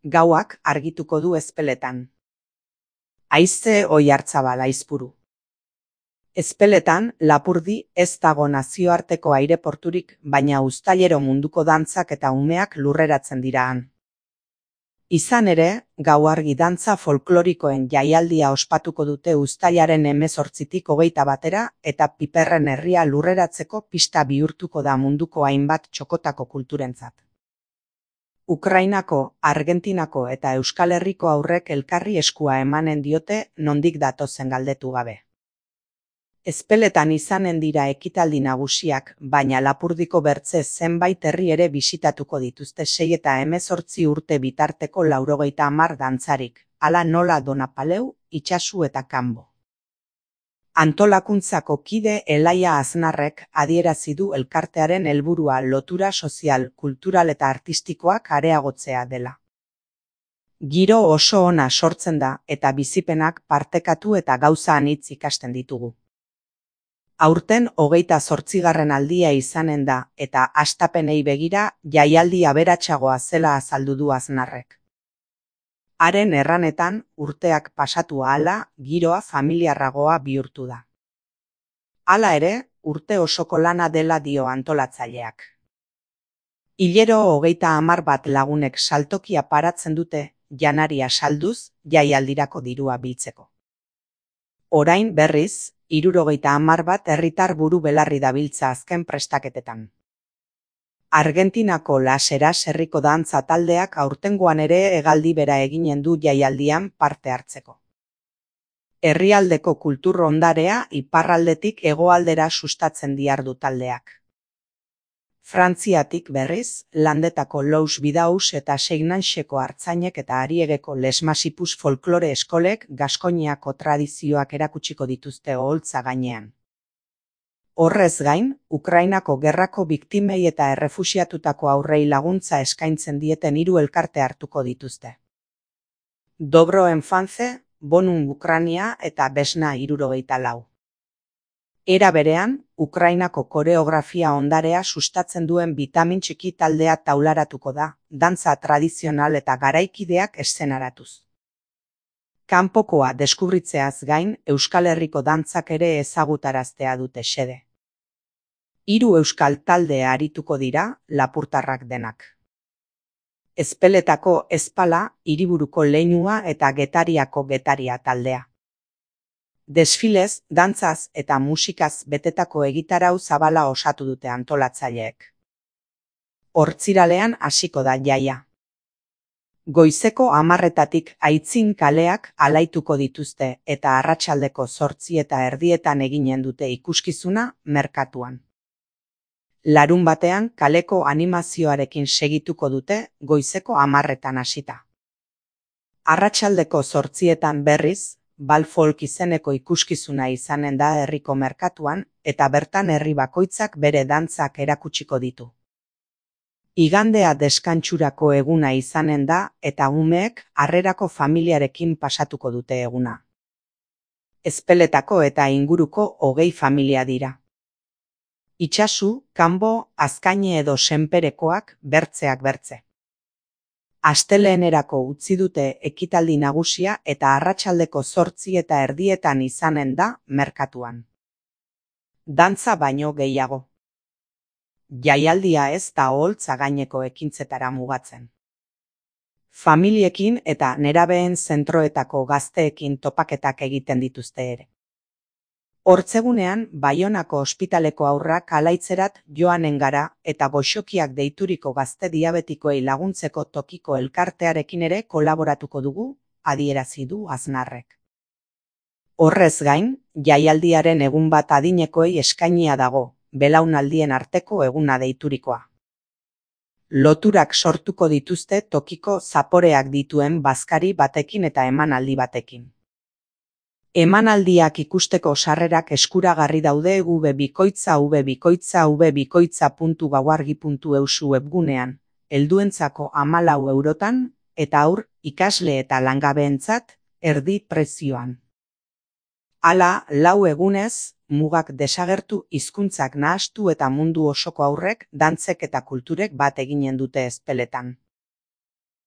Gauak argituko du Ezpeletan. Haize Oiartzabal Aizpuru. Ezpeletan, Lapurdi ez dago nazioarteko aireporturik, baina uztailero munduko dantzak eta umeak lurreratzen dira han. Izan ere, gauargi dantza folklorikoen jaialdia ospatuko dute uztailaren 18tik 21 eta piperren herria lurreratzeko pista bihurtuko da munduko hainbat txokotako kulturentzat. Ukrainako, Argentinako eta Euskal Herriko haurrek elkarri eskua emanen diote nondik datozen galdetu gabe. Ezpeletan izanen dira ekitaldi nagusiak, baina Lapurdiko bertze zenbait herri ere bisitatuko dituzte 6 eta 18 urte bitarteko 90 dantzarik, hala nola Donapaleu, Itsasu eta Kanbo. Antolakuntzako kide Elaia Aznarrek adierazi du elkartearen helburua lotura sozial, kultural eta artistikoak areagotzea dela. Giro oso ona sortzen da eta bizipenak partekatu eta gauza anitz ikasten ditugu. Aurten 28. aldia izanen da eta hastapenei begira jaialdi aberatsagoa zela azaldu du Aznarrek. Haren erranetan, urteak pasatu ahala, giroa familiarragoa bihurtu da. Hala ere, urte osoko lana dela dio antolatzaileak. Hilero 30 lagunek saltokia paratzen dute, janaria salduz, jaialdirako dirua biltzeko. Orain berriz, 70 herritar buru belarri dabiltza azken prestaketetan. Argentinako Las Heras herriko dantza taldeak aurtengoan ere hegaldi bera eginen du jaialdian parte hartzeko. Herrialdeko kultur ondarea iparraldetik hegoaldera sustatzen dihardu taldeak. Frantziatik berriz, Landetako Lous Bidaus eta Seignanxeko artzainek eta Ariegeko Les Masipus folklore eskolek Gaskoniako tradizioak erakutsiko dituzte oholtza gainean. Horrez gain, Ukrainako gerrako biktimei eta errefuxiatutako aurrei laguntza eskaintzen dieten 3 elkarte hartuko dituzte. Dobro Enfance, Bonum Ucrania eta Besna 74. Era berean, Ukrainako koreografia ondarea sustatzen duen Bitamin Txiki taldea taularatuko da, dantza tradizional eta garaikideak eszenaratuz. Kanpokoa deskubritzeaz gain, Euskal Herriko dantzak ere ezagutaraztea dute xede. 3 euskal talde arituko dira, lapurtarrak denak. Ezpeletako Ezpala, Hiriburuko Leinua eta Getariako Getaria taldea. Desfilez, dantzaz eta musikaz betetako egitarau zabala osatu dute antolatzaileek. Hortziralean hasiko da jaia. Goizeko 10 Aitzin kaleak alaituko dituzte eta arratsaldeko 8:30 eginen dute ikuskizuna merkatuan. Larunbatean kaleko animazioarekin segituko dute goizeko 10 hasita. Arratsaldeko 8 berriz, Bal Folk izeneko ikuskizuna izanen da herriko merkatuan eta bertan herri bakoitzak bere dantzak erakutsiko ditu. Igandea deskantsurako eguna izanen da eta umeek harrerako familiarekin pasatuko dute eguna. Ezpeletako eta inguruko 20 familia dira. Itsasu, Kanbo, Azkaine edo Senperekoak bertzeak bertze. Astelehenerako utzi dute ekitaldi nagusia eta arratsaldeko 8:30 izanen da merkatuan. Dantza baino gehiago. Jaialdia ez da oholtza gaineko ekintzetara mugatzen. Familiekin eta nerabeen zentroetako gazteekin topaketak egiten dituzte ere. Hortzegunean, Baionako ospitaleko haurrak alaitzerat joanen gara eta goxokiak deituriko gazte diabetikoei laguntzeko tokiko elkartearekin ere kolaboratuko dugu, adierazi du Aznarrek. Horrez gain, jaialdiaren egun bat adinekoei eskainia dago, belaunaldien arteko eguna deiturikoa. Loturak sortuko dituzte tokiko zaporeak dituen bazkari batekin eta emanaldi batekin. Emanaldiak ikusteko sarrerak eskuragarri daude www.v.v.gauargi.eus webgunean, helduentzako 14 eurotan eta haur, ikasle eta langabeentzat erdi prezioan. Hala, 4 egunez, mugak desagertu, hizkuntzak nahastu eta mundu osoko haurrek, dantzek eta kulturek bat eginen dute Ezpeletan.